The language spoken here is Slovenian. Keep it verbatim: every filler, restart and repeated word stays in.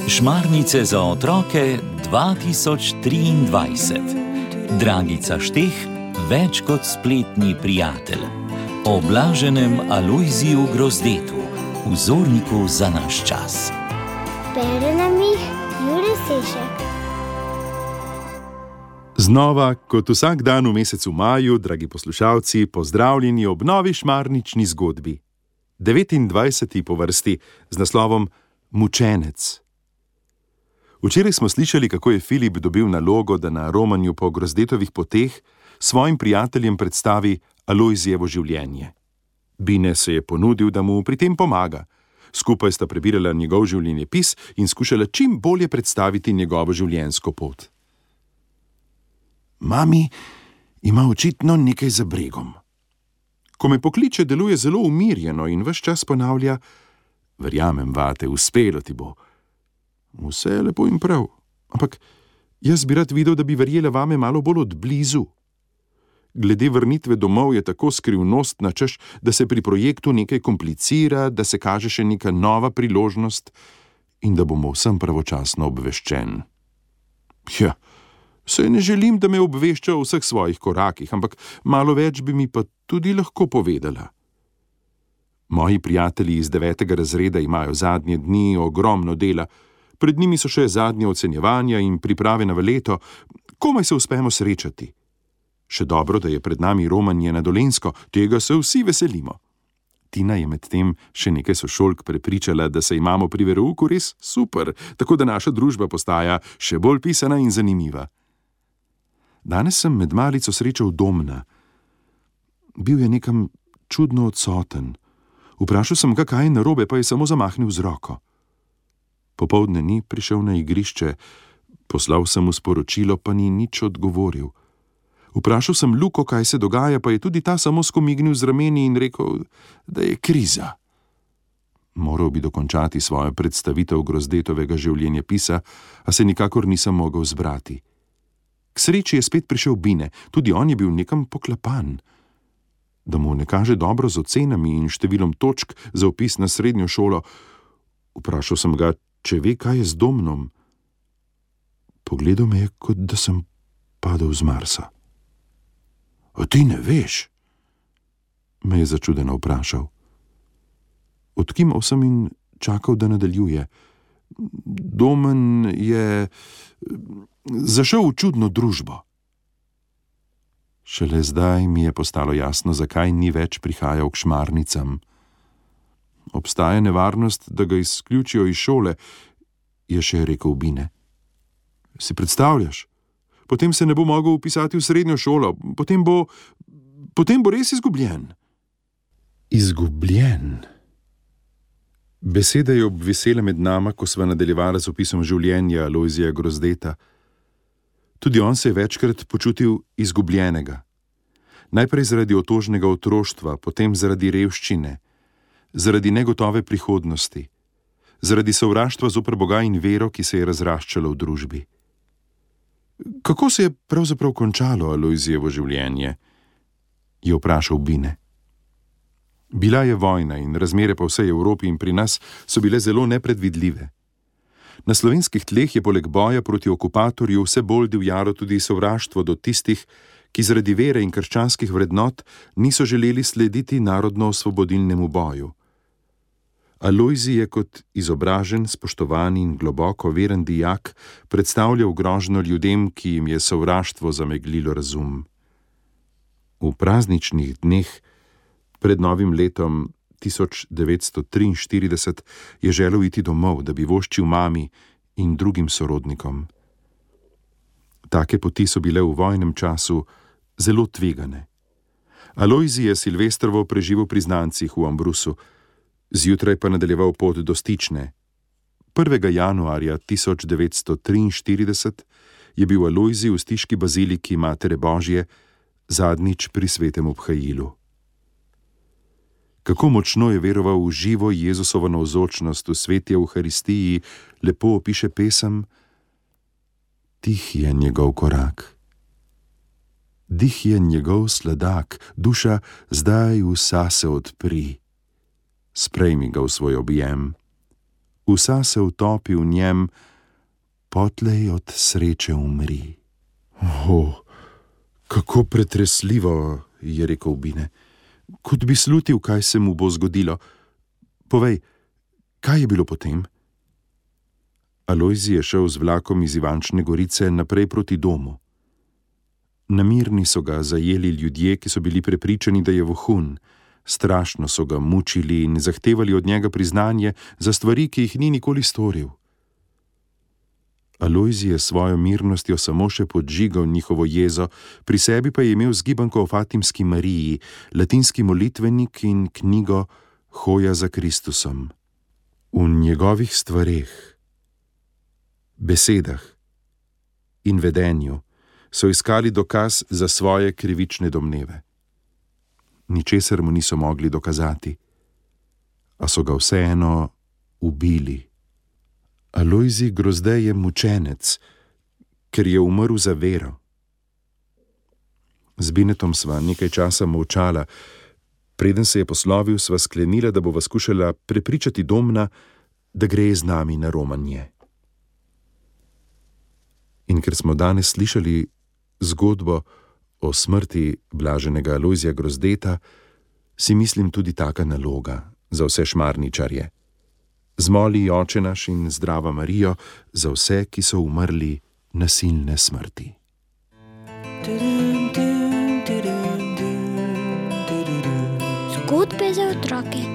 Šmarnice za otroke dva tisoč triindvajset. Dragica Šteh, več kot spletni prijatelj. O blaženem Alojziju Grozdetu, vzorniku za naš čas. Bere nam jih Jure Sešek. Znova, kot vsak dan v mesecu maju, dragi poslušalci, pozdravljeni ob novi šmarnični zgodbi. devetindvajseti po vrsti z naslovom Mučenec. Včeraj smo slišali, kako je Filip dobil nalogo, da na romanju po Grozdetovih poteh svojim prijateljem predstavi Alojzijevo življenje. Bine se je ponudil, da mu pri tem pomaga. Skupaj sta prebirala njegov življenjepis in skušala čim bolje predstaviti njegovo življenjsko pot. Mami ima očitno nekaj za bregom. Ko me pokliče, deluje zelo umirjeno in ves čas ponavlja: verjamem vate, uspelo ti bo. Vse je lepo in prav, ampak jaz bi rad videl, da bi verjela vame malo bolj od blizu. Glede vrnitve domov je tako skrivnostna, češ, da se pri projektu nekaj komplicira, da se kaže še neka nova priložnost in da bomo vsem pravočasno obveščen. Ja, saj ne želim, da me obvešča o vseh svojih korakih, ampak malo več bi mi pa tudi lahko povedala. Moji prijatelji iz devetega razreda imajo zadnje dni ogromno dela. Pred njimi so še zadnje ocenjevanja in priprave na leto, komaj se uspemo srečati. Še dobro, da je pred nami romanje na Dolenjsko, tega se vsi veselimo. Tina je medtem še nekaj sošolk prepričala, da se imamo pri verouku res super, tako da naša družba postaja še bolj pisana in zanimiva. Danes sem med malico srečal Domna. Bil je nekam čudno odsoten. Vprašal sem ga, kaj je narobe, pa je samo zamahnil z roko. Popoldne ni prišel na igrišče, poslal sem mu sporočilo, pa ni nič odgovoril. Vprašal sem Luko, kaj se dogaja, pa je tudi ta samo skomignil z rameni in rekel, da je kriza. Moral bi dokončati svojo predstavitev Grozdetovega življenjepisa, a se nikakor nisem mogel zbrati. K sreči je spet prišel Bine, tudi on je bil nekam poklapan. Da mu ne kaže dobro z ocenami in številom točk za vpis na srednjo šolo, vprašal sem ga, če ve, kaj je z Domnom. Pogledal me je, kot da sem padel z Marsa. A ti ne veš? Me je začudeno vprašal. Odkimal sem in čakal, da nadaljuje. Domen je zašel v čudno družbo. Šele zdaj mi je postalo jasno, zakaj ni več prihajal k šmarnicam. Obstaja nevarnost, da ga izključijo iz šole, je še rekel Bine. Si predstavljaš? Potem se ne bo mogel vpisati v srednjo šolo, potem bo, potem bo res izgubljen. Izgubljen? Beseda je obvisela med nama, ko sva nadaljevala z opisom življenja Alojzija Grozdeta. Tudi on se je večkrat počutil izgubljenega. Najprej zaradi otožnega otroštva, potem zaradi revščine, zaradi negotove prihodnosti, zaradi sovraštva zoper Boga in vero, ki se je razraščala v družbi. Kako se je pravzaprav končalo Alojzijevo življenje? Je vprašal Bine. Bila je vojna in razmere po vsej Evropi in pri nas so bile zelo nepredvidljive. Na slovenskih tleh je poleg boja proti okupatorju vse bolj divjalo tudi sovraštvo do tistih, ki zaradi vere in krščanskih vrednot niso želeli slediti narodno-osvobodilnemu boju. Alojzij je kot izobražen, spoštovan in globoko veren dijak predstavljal grožnjo ljudem, ki jim je sovraštvo zameglilo razum. V prazničnih dneh pred novim letom tisoč devetsto triinštirideset je želel iti domov, da bi voščil mami in drugim sorodnikom. Take poti so bile v vojnem času zelo tvegane. Alojzij je Silvestrovo preživel pri znancih v Ambrusu, zjutraj pa nadaljeval pot do Stične. prvega januarja tisoč devetsto triinštirideset je bil Alojzij v stiški baziliki Matere Božje zadnjič pri svetem obhajilu. Kako močno je veroval v živo Jezusovo navzočnost v sveti Evharistiji, lepo opiše pesem: Tih je njegov korak. Dih je njegov sladak, duša zdaj vsa se odpri. sprejmi ga v svoj objem. Vsa se utopi v njem, potlej od sreče umri. O, kako pretresljivo, je rekel Bine. Kot bi slutil, kaj se mu bo zgodilo. Povej, kaj je bilo potem? Alojzij je šel z vlakom iz Ivančne Gorice naprej proti domu. Na Mirni so ga zajeli ljudje, ki so bili prepričani, da je vohun. Strašno so ga mučili in zahtevali od njega priznanje za stvari, ki jih ni nikoli storil. Alojzij je svojo mirnostjo samo še podžigal njihovo jezo, pri sebi pa je imel zgibanko o Fatimski Mariji, latinski molitvenik in knjigo Hoja za Kristusom. V njegovih stvareh, besedah in vedenju so iskali dokaz za svoje krivične domneve. Ničesar mu niso mogli dokazati, a so ga vseeno ubili. Alojzij Grozdej je mučenec, ker je umrl za vero. Z Binetom sva nekaj časa molčala, preden se je poslovil, sva sklenila, da bova skušala prepričati Domna, da gre z nami na romanje. In ker smo danes slišali zgodbo o smrti blaženega Alojzija Grozdeta, si mislim tudi taka naloga za vse šmarničarje. Zmoli Oče naš in Zdrava Marijo za vse, ki so umrli nasilne smrti. Zgodbe za otroke.